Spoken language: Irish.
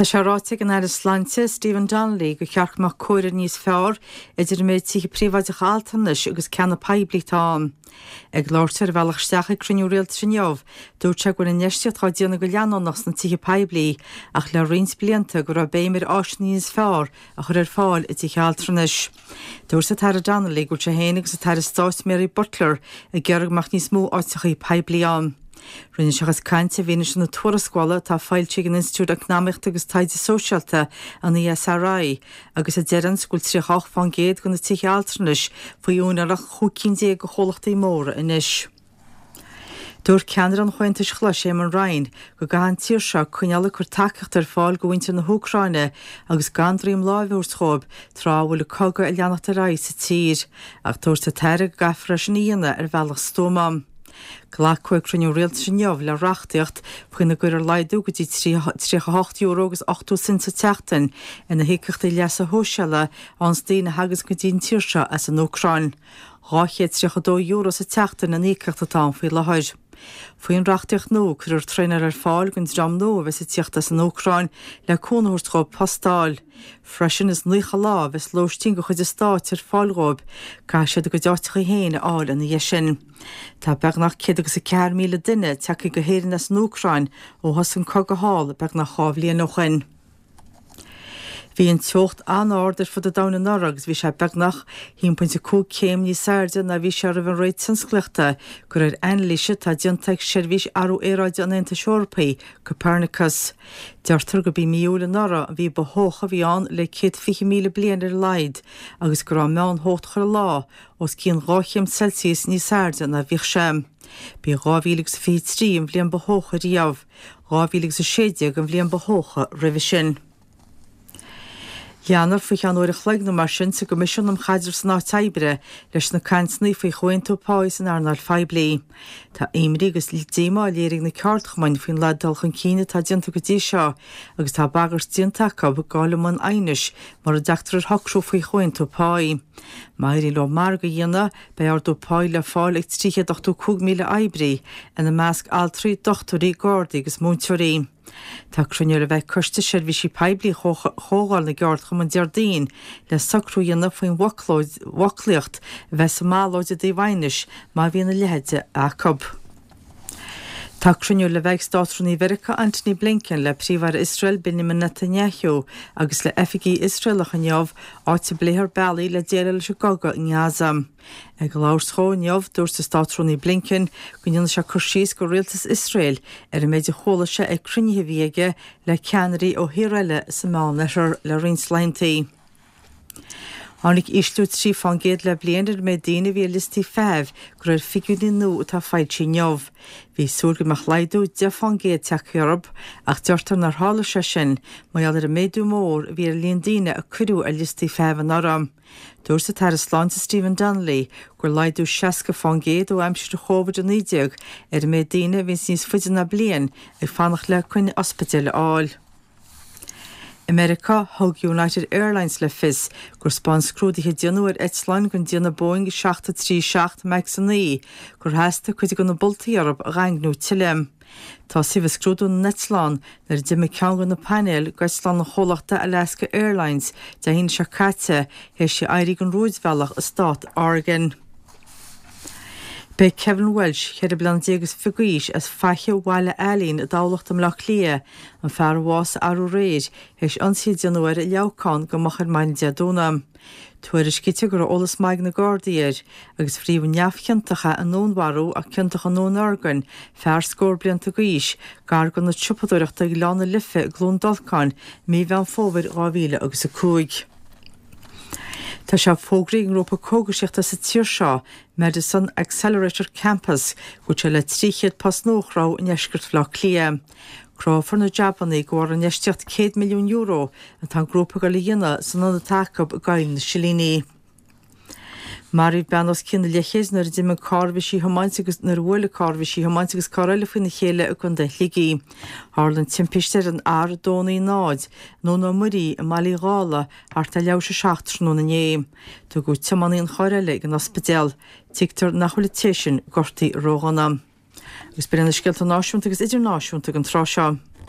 Tá sé ráite ag an Aire Sláinte, Stephen Donnelly, gur cheart go mbeadh comhréir níos fearr idir an méid tithe príobháideacha altranais agus ceanna poiblí atá ann. Ag labhairt ar a bhealach isteach ag cruinniú rialtais inniu, dúirt sé go bhfuil infheistíocht á déanamh go leanúnach sna tithe poiblí ach le roinnt blianta go raibh béim ar áiseanna níos fearr a chur ar fáil i dtithe altranais. Dúirt an tAire Donnelly go bhfuil sé féin agus an tAire Stáit Mary Butler ag iarraidh go mbeadh níos mó áiteachaí poiblí ann. Rinne sé a chuid cainte i bhfianaise na tuarascála atá foilsithe ag an Institiúid Eacnamaíochta agus Taighde Sóisialta, an ESRI, agus a deireanns go bhfuil 38% de na tithe altranais faoi úinéireacht 15 cinn de chomhlachtaí móra anois. Dúirt ceannaire an Chomhaontais Ghlais, Eamon Ryan, go gcaithfidh an tír seo coinneáil ag cur tacaíocht ar fáil do mhuintir na hÚcráine agus gan droim láimhe a thabhairt dhóibh tráth a bhfuil an cogadh ag leanacht ar aghaidh sa tír. Ach dúirt an tAire go gcaithfear é sin a dhéanamh ar bhealach stuama. Glacadh ag cruinniú rialtais inniu le reachtaíocht faoina gcuirfear laghdú go dtí €38 agus 80 cent sa tseachtain ar na híocaíochtaí leasa shóisialaigh a fhaigheanns daoine a thaganns go dtí an tír seo as an Úcráin. €232 sa tseachtain an íocaíocht atá ann faoi láthair. Faoin reachtaíocht nua, cuirfear traenáil ar fáil don dream nua a bheas ag tíocht as an Úcráin le cúnamh a thabhairt dhóibh post a fháil. Freisin, is 90 lá a bheas lóistín de chuid an stáit ar fáil dhóibh, caithfidh siad a gcuid áiteachaí féin a fháil ina dhiaidh sin. Tá beagnach 104,000 duine tagtha go hÉirinn as an Úcráin ó thosaigh an cogadh thall beagnach 2 bhliain ó shoin. Bhí an teocht an-ard ar fud an domhain anuraidh agus bhí sé beagnach 1.5 céim níos airde ná bhí sé roimh an ré tionsclaíochta, de réir anailíse atá déanta ag Seirbhís Athrú Aeráide an Aontais Eorpaigh, Copernicus. Deirtear gurb í mí Iúil anuraidh an mhí ba theocha a bhí ann le 120,000 bliain ar a laghad agus go raibh an meántheocht chuile lá os cionn 2 chéim Celsius níos airde ná bhíodh sé. B'í 2023 an bhliain ba theocha riamh. 2016 an bhliain ba theocha roimhe sin. Leanfar faoi cheann uair a chloig nó mar sin sa gCoimisiún um Chaidreamh san Áit Oibre leis na cainteanna faoi chomhaontú páí san earnáil phoiblí. Tá imní agus díomá léirithe ag na ceardchumainn faoin laghad dul chun cinn atá déanta go dtí seo agus tá bagairt déanta acu gabháil i mbun aighnis mura dtagtar ar shocrú faoi chomhaontú páí. Má éiríonn leo margadh a dhéanamh, beidh ardú páí le fáil ag 385,000 oibrí, ina measc altraí, dochtúirí, gardaí agus múinteoirí. Tá cruinniú le bheith ag Coiste Seirbhísí Poiblí Chomhdháil na gCeardchumann Déardaoin le socrú a dhéanamh faoin bhfoclaíocht a bheas sa mballóid i dtaobh aighnis má bhíonn a leithéid acu. Tá cruinniú le bheith ag Státrúnaí Mheiriceá Antony Blinken le Príomh-Aire Iosrael Benjamin Netanyahu agus le oifigigh Iosraelacha inniu, áit a bpléifear bealaí le déileáil leis an gcogadh i nGaza. Ag labhairt dhó inniu, dúirt an Státrúnaí Blinken go ndéanfaidh sé cur síos go rialtas Iosrael ar an méid a chuala sé ag cruinnithe a bhí aige le ceannairí ó thíortha eile sa Meánoirthear le roinnt laethanta. Tháinig ísliú 3 fán gcéad le bliain ar an méid daoine a bhí ar liostaí feithimh, de réir figiúirí nua atá foilsithe inniu. Bhí súil go mbeadh laghdú 10 fán gcéad tagtha orthu, ach deirtear nár tharla sé sin mar gheall ar an méadú mór a bhí ar an líon daoine a cuireadh ar liostaí feithimh anuraidh. Dúirt an tAire Sláinte Stephen Donnelly gur laghdú 60 fán gcéad ó aimsir Covid-19 ar an méid daoine a bhíonns níos faide ná bliain ag fanacht le coinne ospidéil a fháil. I Meiriceá, thug United Airlines le fios gur 'spáin scrúduithe a déanadh ar eitleáin den déanamh Boeing 737 Max 9 gur theastaigh cuid de na boltaí orthu a dhaingniú tuilleadh. Tosaíodh ag scrúdú na n-eitleán nuair a d'imigh ceann de na painéil d'eitleán an chomhlachta Alaska Airlines Dé hAoine seo caite théis di éirí den rúidbhealach i stát Oregon. B'é Kevin Walsh, 14 bliana is fiche d'aois, as Faiche Bhaile Ailín i dTamhlacht i mBleá Cliath, an fear a bhásaigh arú aréir, théis ionsaí a déanadh air i Leamhcán go moch ar maidin Dé Domhnaigh. Tuairiscítear go raibh eolas maith ag na Gardaí air, agus frítheadh neamhchiontach é i ndúnmharú ach ciontach i ndúnorgain fear scór blianta d'aois, gar d'ionad siopadóireachta ag Lána Life i gCluain Dolcáin i mí Mheán Fómhair 2005. Tá sé fógraithe ag an ngrúpa cógaisíochta sa tír seo, Medison Accelerator Campus, go bhfuil sé le 300 post nua a chruthú i ndeisceart Bhaile Átha Cliath. Cruthófar na jabanna de bharr infheistíocht €100 milliún atá an grúpa ag dul a dhéanamh san ionad atá acu i gCoill na Silíní. Maraíodh bean os cionn an leathchéid nuair a d'imigh an carr a bhí sí a thiomáint agus nuair a bhuail an carr a bhí sí a thiomáint agus carr eile faoina chéile i gContae Shligigh. Tharla an timpiste ar an R290 i nDún Ó Muirí i mBaile Uí Dhálaigh thart ar leathuair tar éis a 7 tráthnóna inné. Tugadh tiománaí an chairr eile ag an ospidéal. Tuigtear nach bhfuil an té sin gortaithe ródhona. Agus b'in iad na scéalta náisiúnta agus idirnáisiúnta don tráth seo.